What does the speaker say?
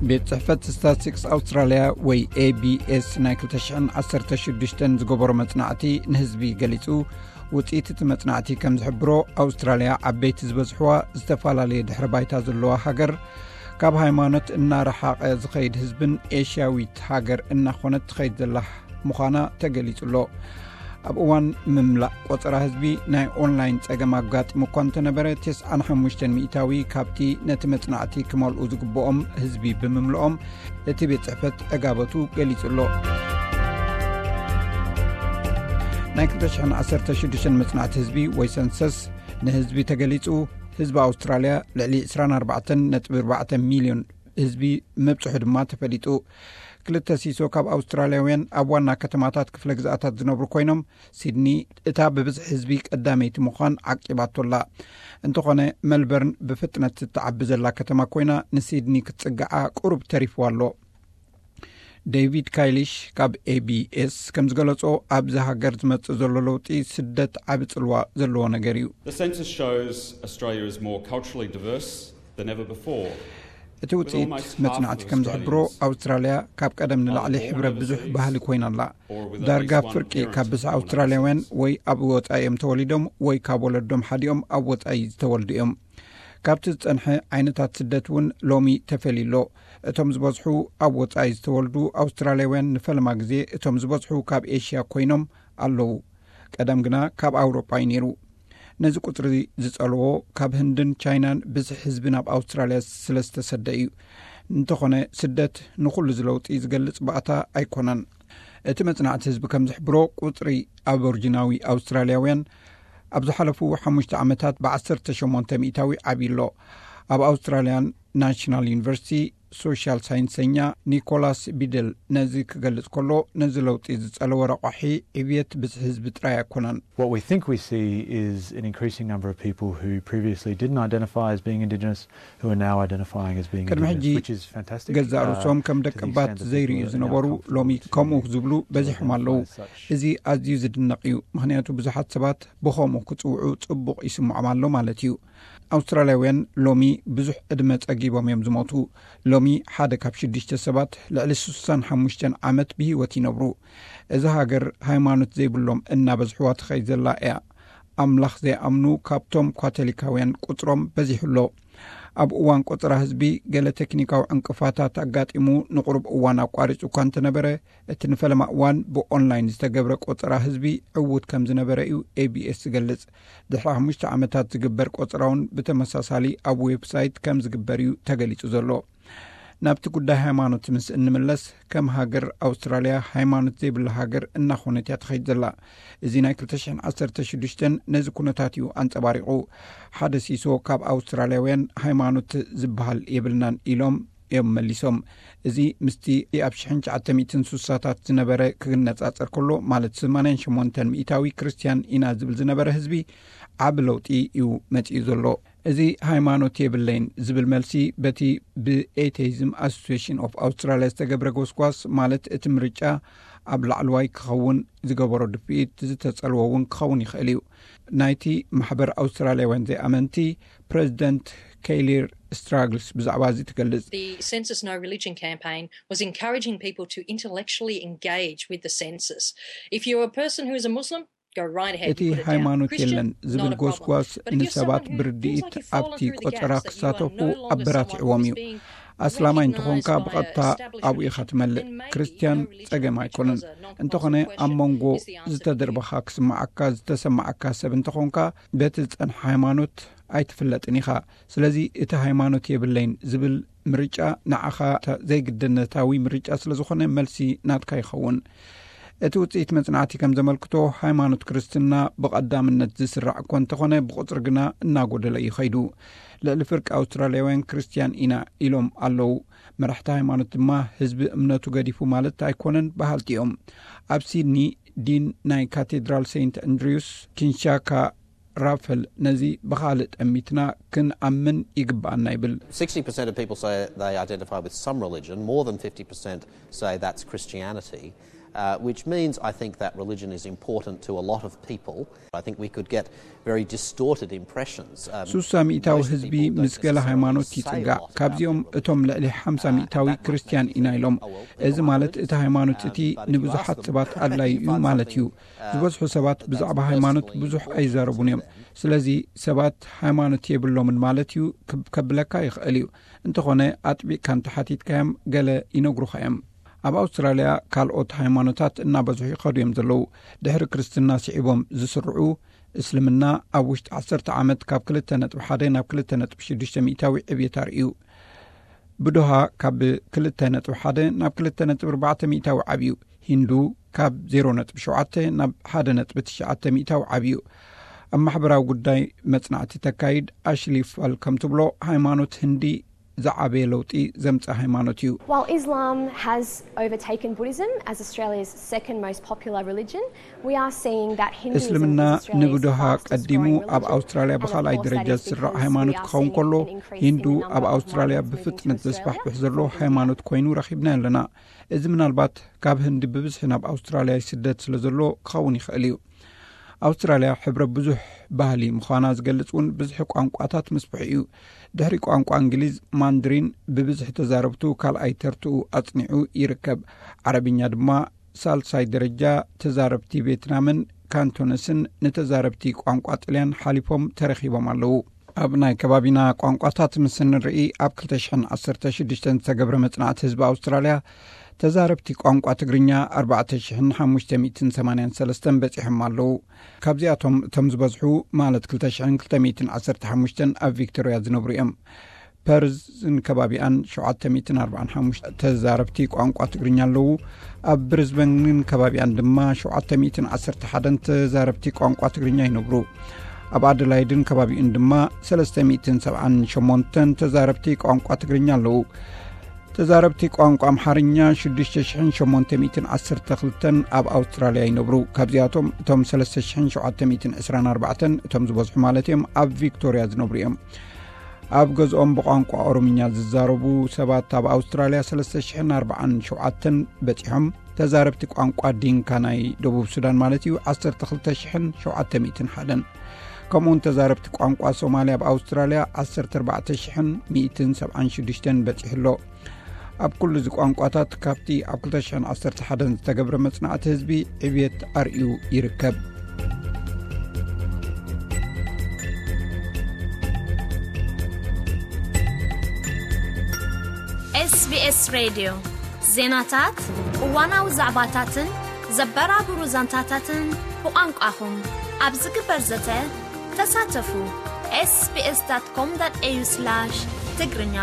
ቤት ጽሕፈት ስታትስቲክስ ኣውስትራልያ ወይ ኤ ቢ ኤስ ናይ ክልተ ሽሕን ዓሰርተ ሽዱሽተን ዝገበሮ መጽናዕቲ ንህዝቢ ገሊጹ። ውጽኢት እቲ መጽናዕቲ ከም ዝሕብሮ፣ ኣውስትራልያ ዓበይቲ ዝበዝሕዋ ዝተፈላለየ ድሕሪ ባይታ ዘለዋ ሃገር፣ ካብ ሃይማኖት እናረሓቐ ዝኸይድ ህዝብን ኤሽያዊት ሃገር እናኾነት ትኸይድ ዘላ ምዃና ተገሊጹ ኣሎ። ኣብ እዋን ምምላእ ቆጸራ ህዝቢ ናይ ኦንላይን ጸገም ኣጋጢሙ እኳ እንተነበረ፣ ተስዓን ሓሙሽተን ሚእታዊ ካብቲ ነቲ መጽናዕቲ ክመልኡ ዝግብኦም ህዝቢ ብምምልኦም እቲ ቤት ጽሕፈት ዕጋበቱ ገሊጹ ኣሎ። ናይ ክልተ ሽሕን ዓሰርተ ሽዱሽተን መጽናዕቲ ህዝቢ ወይ ሰንሰስ ንህዝቢ ተገሊጹ። ህዝቢ ኣውስትራልያ ልዕሊ ዕስራን ኣርባዕተን ነጥቢ ኣርባዕተ ሚልዮን ህዝቢ ምብጽሑ ድማ ተፈሊጡ። ክልተ ሲሶ ካብ ኣውስትራልያውያን ኣብ ዋና ከተማታት ክፍለ ግዝኣታት ዝነብሩ ኮይኖም፣ ሲድኒ እታ ብብዝሒ ህዝቢ ቀዳመይቲ ምዃን ዓቂባቶ ኣላ። እንተኾነ፣ መልበርን ብፍጥነት እትዓቢ ዘላ ከተማ ኮይና፣ ንሲድኒ ክትጽግዓ ቁሩብ ተሪፍዋ ኣሎ። ዴቪድ ካይሊሽ ካብ ኤ ቢ ኤስ ከም ዝገለጾ፣ ኣብዚ ሃገር ዝመጽእ ዘሎ ለውጢ ስደት ዓቢ ጽልዋ ዘለዎ ነገር እዩ። The census shows Australia is more culturally diverse than ever before. እቲ ውጽኢት መጽናዕቲ ከም ዝሕብሮ፣ ኣውስትራልያ ካብ ቀደም ንላዕሊ ሕብረ ብዙሕ ባህሊ ኮይና ኣላ። ዳርጋ ፍርቂ ካብ ብዝሒ ኣውስትራልያውያን ወይ ኣብ ወጻኢ እዮም ተወሊዶም ወይ ካብ ወለዶም ሓዲኦም ኣብ ወጻኢ ዝተወልዱ እዮም። ካብቲ ዝጸንሐ ዓይነታት ስደት እውን ሎሚ ተፈልዩ ኣሎ። እቶም ዝበዝሑ ኣብ ወጻኢ ዝተወልዱ ኣውስትራልያውያን ንፈለማ ግዜ እቶም ዝበዝሑ ካብ ኤሽያ ኮይኖም ኣለዉ። ቀደም ግና ካብ ኣውሮጳ እዩ ነይሩ። ነዚ ቁጽሪ ዝጸልዎ፣ ካብ ህንድን ቻይናን ብዝሒ ህዝቢ ናብ ኣውስትራልያ ስለ ዝተሰደ እዩ። እንተኾነ፣ ስደት ንኹሉ እዚ ለውጢ ዝገልጽ ባእታ ኣይኮነን። እቲ መጽናዕቲ ህዝቢ ከም ዝሕብሮ፣ ቁጽሪ ኣቦርጂናዊ ኣውስትራልያውያን ኣብ ዝሓለፉ ሓሙሽተ ዓመታት ብዓሰርተ ሸሞንተ ሚእታዊ ዓብዩ ኣሎ። ኣብ ኣውስትራልያን ናሽናል ዩኒቨርሲቲ ሶሻል ሳይንሰኛ ኒኮላስ ቢደል ነዚ ክገልጽ ከሎ፣ ነዚ ለውጢ ዝጸለወ ረቋሒ ዕብየት ብዝሒ ህዝቢ ጥራይ ኣይኮነን። What we think we see is an increasing number of people who previously didn't identify as being Indigenous who are now identifying as being ቅድሚ Indigenous, ሕጂ which is fantastic. ገዛእ ርእሶም ከም ደቂ ባት ዘይርእዩ ዝነበሩ ሎሚ ከምኡ ዝብሉ በዚሖም ኣለዉ። እዚ ኣዝዩ ዝድነቕ እዩ፣ ምኽንያቱ ብዙሓት ሰባት ብኸምኡ ክጽውዑ ጽቡቕ ይስምዖም ኣሎ ማለት እዩ። ኣውስትራልያውያን ሎሚ ብዙሕ ዕድመ ጸጊቦም እዮም ዝሞቱ። ሎሚ ሓደ ካብ ሽዱሽተ ሰባት ልዕሊ ስሳን ሓሙሽተን ዓመት ብህይወት ይነብሩ። እዛ ሃገር ሃይማኖት ዘይብሎም እናበዝሕዋ ትኸይድ ዘላ እያ። ኣምላኽ ዘይኣምኑ ካብቶም ካቶሊካውያን ቁጽሮም በዚሑ ኣሎ። ኣብ እዋን ቆጸራ ህዝቢ ገለ ቴክኒካዊ ዕንቅፋታት ኣጋጢሙ ንቁሩብ እዋን ኣቋሪጹ እኳ እንተነበረ፣ እቲ ንፈለማ እዋን ብኦንላይን ዝተገብረ ቆጸራ ህዝቢ ዕዉት ከም ዝነበረ እዩ ኤ ቢ ኤስ ዝገልጽ። ድሕሪ ሓሙሽተ ዓመታት ዝግበር ቆጸራ እውን ብተመሳሳሊ ኣብ ዌብሳይት ከም ዝግበር እዩ ተገሊጹ ዘሎ። ናብቲ ጉዳይ ሃይማኖት ምስ እንምለስ፣ ከም ሃገር ኣውስትራልያ ሃይማኖት ዘይብላ ሃገር እናኾነት እያ ትኸይድ ዘላ። እዚ ናይ ክልተ ሽሕን ዓሰርተ ሽዱሽተን ነዚ ኩነታት እዩ ኣንጸባሪቑ። ሓደ ሲሶ ካብ ኣውስትራልያውያን ሃይማኖት ዝበሃል የብልናን ኢሎም እዮም መሊሶም። እዚ ምስቲ ኣብ ሽሕን ትሽዓተ ሚእትን ስሳታት ዝነበረ ክነጻጸር ከሎ፣ ማለት ሰማንያን ሸሞንተን ሚእታዊ ክርስትያን ኢና ዝብል ዝነበረ ህዝቢ፣ ዓቢ ለውጢ እዩ መጺኡ ዘሎ። እዚ ሃይማኖት የብለይን ዝብል መልሲ በቲ ብኤቴይዝም ኣሶሲሽን ኦፍ ኣውስትራልያ ዝተገብረ ጎስጓስ፣ ማለት እቲ ምርጫ ኣብ ላዕለዋይ ክኸውን ዝገበሮ ድፍኢት ዝተጸልዎ እውን ክኸውን ይኽእል እዩ። ናይቲ ማሕበር ኣውስትራልያውያን ዘይኣመንቲ ፕሬዚደንት ኬይሊር ስትራግልስ ብዛዕባ እዚ ትገልጽ። The Census No Religion campaign was encouraging people to intellectually engage with the census. If you're a person who is a Muslim, go right ahead. እቲ ሃይማኖት የለን ዝብል ጎስጓስ ንሰባት ብርድኢት ኣብቲ ቆጸራ ክሳተፉ ኣበራቲዕዎም እዩ። ኣስላማይ እንተኾንካ ብቐጥታ ኣብኡ ኢኻ ትመልእ። ክርስትያን ጸገም ኣይኮነን። እንተኾነ ኣብ መንጎ ዝተደርበኻ ክስምዓካ ዝተሰማዓካ ሰብ እንተኾንካ በቲ ዝጸንሐ ሃይማኖት ኣይትፍለጥን ኢኻ። ስለዚ እቲ ሃይማኖት የብለይን ዝብል ምርጫ ንዓኻ ዘይግድነታዊ ምርጫ ስለ ዝኾነ መልሲ ናትካ ይኸውን። እቲ ውጽኢት መጽናዕቲ ከም ዘመልክቶ፣ ሃይማኖት ክርስትና ብቐዳምነት ዝስራዕ እኳ እንተኾነ፣ ብቑጽሪ ግና እናጎደለ እዩ ኸይዱ። ልዕሊ ፍርቂ ኣውስትራልያውያን ክርስትያን ኢና ኢሎም ኣለዉ። መራሕቲ ሃይማኖት ድማ ህዝቢ እምነቱ ገዲፉ ማለት ኣይኮነን በሃልቲ እዮም። ኣብ ሲድኒ ዲን ናይ ካቴድራል ሴንት ኣንድሪውስ ኪንሻካ ራፈል ነዚ ብኻልእ ጠሚትና ክንኣምን ይግብኣና ይብል። Sixty percent of people say they identify with some religion, more than fifty percent say that's Christianity. Uh, which means I think that religion is important to a lot of people. I think we could get very distorted impressions. Um, ሱሳ ሚእታዊ ህዝቢ ምስ ገለ ሃይማኖት ይጽጋዕ። ካብዚኦም እቶም ልዕሊ ሓምሳ ሚእታዊ ክርስትያን ኢና ኢሎም። እዚ ማለት እቲ ሃይማኖት እቲ ንብዙሓት ሰባት ኣድላይ እዩ ማለት እዩ። ዝበዝሑ ሰባት ብዛዕባ ሃይማኖት ብዙሕ ኣይዛረቡን እዮም። ስለዚ ሰባት ሃይማኖት የብሎምን ማለት እዩ ከብለካ ይኽእል እዩ። እንተኾነ ኣጥቢቕካ እንተሓቲትካዮም ገለ ይነግሩኻ እዮም። ኣብ ኣውስትራልያ ካልኦት ሃይማኖታት እናበዝሑ ይኸዱ እዮም ዘለዉ። ድሕሪ ክርስትና ስዒቦም ዝስርዑ እስልምና ኣብ ውሽጢ ዓሰርተ ዓመት ካብ ክልተ ነጥቢ ሓደ ናብ ክልተ ነጥቢ ሽዱሽተ ሚእታዊ ዕብየት ኣርእዩ። ብዶሃ ካብ ክልተ ነጥቢ ሓደ ናብ ክልተ ነጥቢ ኣርባዕተ ሚእታዊ ዓብዩ። ሂንዱ ካብ ዜሮ ነጥቢ ሸውዓተ ናብ ሓደ ነጥቢ ትሽዓተ ሚእታዊ ዓብዩ። ኣብ ማሕበራዊ ጉዳይ መጽናዕቲ ተካይድ ኣሽሊ ፋል ከም ትብሎ፣ ሃይማኖት ህንዲ ዝዓበየ ለውጢ ዘምጽእ ሃይማኖት እዩ። While Islam has overtaken Buddhism as Australia's second most popular religion, we are seeing that Hinduism እስልምና is Australia's ንብድሃ fastest ቀዲሙ growing ኣብ religion, ኣውስትራልያ and of ብኻልኣይ course that ደረጃ is ዝስራዕ because ሃይማኖት we are ክኸውን seeing ከሎ፣ an increase ሂንዱ in the ኣብ number of ኣውስትራልያ Muslims moving to ብፍጥነት Australia ዘስፋሕፍሕ ዘሎ from India. ሃይማኖት ኮይኑ ረኺብናዮ ኣለና። እዚ ምናልባት ካብ ህንዲ ብብዝሒ ናብ ኣውስትራልያ ይስደድ ስለ ዘሎ ክኸውን ይኽእል እዩ። ኣውስትራልያ ሕብረ ብዙሕ ባህሊ ምዃና ዝገልጽ እውን ብዝሒ ቋንቋታት ምስፍሑ እዩ። ድሕሪ ቋንቋ እንግሊዝ፣ ማንድሪን ብብዝሒ ተዛረብቱ ካልኣይ ተርትኡ ኣጽኒዑ ይርከብ። ዓረብኛ ድማ ሳልሳይ ደረጃ ተዛረብቲ ቬትናምን ካንቶነስን ንተዛረብቲ ቋንቋ ጥልያን ሓሊፎም ተረኺቦም ኣለዉ። ኣብ ናይ ከባቢና ቋንቋታት ምስ እንርኢ፣ ኣብ ክልተ ሽሕን ዓሰርተ ሽዱሽተን ዝተገብረ መጽናዕቲ ህዝቢ ኣውስትራልያ፣ ተዛረብቲ ቋንቋ ትግርኛ ኣርባዕተ ሽሕን ሓሙሽተ ሚእትን ሰማንያን ሰለስተን በጺሖም ኣለዉ። ካብዚኣቶም እቶም ዝበዝሑ፣ ማለት ክልተ ሽሕን ክልተ ሚእትን ዓሰርተ ሓሙሽተን፣ ኣብ ቪክቶርያ ዝነብሩ እዮም። ፐርዝን ከባቢኣን ሸውዓተ ሚእትን ኣርባዓን ሓሙሽተ ተዛረብቲ ቋንቋ ትግርኛ ኣለዉ። ኣብ ብሪዝበንን ከባቢኣን ድማ ሸውዓተ ሚእትን ዓሰርተ ሓደን ተዛረብቲ ቋንቋ ትግርኛ ይነብሩ። ኣብ ኣደላይድን ከባቢኡን ድማ ሰለስተ ሚእትን ሰብዓን ሸሞንተን ተዛረብቲ ቋንቋ ትግርኛ ኣለዉ። ተዛረብቲ ቋንቋ ኣምሓርኛ ሽዱሽተ ሽሕን ሸሞንተ ሚእትን ዓሰርተ ክልተን ኣብ ኣውስትራልያ ይነብሩ። ካብዚኣቶም እቶም ሰለስተ ሽሕን ሸውዓተ ሚእትን ዕስራን ኣርባዕተን፣ እቶም ዝበዝሑ ማለት እዮም፣ ኣብ ቪክቶርያ ዝነብሩ እዮም። ኣብ ገዝኦም ብቋንቋ ኦሮምኛ ዝዛረቡ ሰባት ኣብ ኣውስትራልያ ሰለስተ ሽሕን ኣርባዓን ሸውዓተን በጺሖም። ተዛረብቲ ቋንቋ ዲንካ ናይ ደቡብ ሱዳን ማለት እዩ፣ ዓሰርተ ክልተ ሽሕን ሸውዓተ ሚእትን ሓደን። ከምኡውን ተዛረብቲ ቋንቋ ሶማልያ ኣብ ኣውስትራልያ ዓሰርተ ኣርባዕተ ሽሕን ሚእትን ሰብዓን ሽዱሽተን በጺሑ ኣሎ። ኣብ ኩሉ እዚ ቋንቋታት ካብቲ ኣብ ክልተ ሽሕን ዓሰርተ ሓደን ዝተገብረ መጽናዕቲ ህዝቢ ዕብየት ኣርእዩ ይርከብ። SBS ሬድዮ ዜናታት፣ እዋናዊ ዛዕባታትን ዘበራብሩ ዛንታታትን ብቋንቋኹም ኣብ ዝግበር ዘተ ተሳተፉ። ኤስቢኤስ ዳት ኮም ዳት ኤዩ ስላሽ ትግርኛ